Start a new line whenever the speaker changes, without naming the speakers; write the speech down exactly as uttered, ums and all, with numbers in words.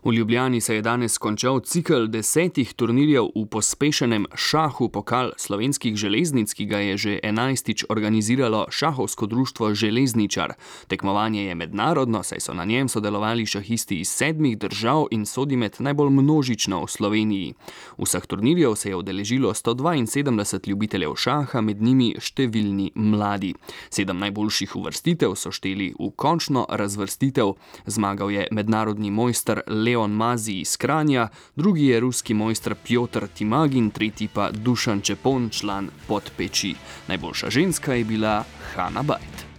V Ljubljani se je danes končal cikel desetih turnirjev v pospešenem šahu Pokal slovenskih železnic, ki ga je že enajstič organiziralo Šahovsko društvo Železničar. Tekmovanje je mednarodno, saj so na njem sodelovali šahisti iz sedmih držav in sodi med najbolj množično v Sloveniji. Vseh turnirjev se je udeležilo sto dvainsedemdeset ljubiteljev šaha, med njimi številni mladi. Sedem najboljših uvrstitev so šteli v končno razvrstitev. Zmagal je mednarodni mojster Leon Mazij iz Kranja, drugi je ruski mojster Pjotr Timagin, tretji pa Dušan Čepon, član Podpeči. Najboljša ženska je bila Hana Bajt.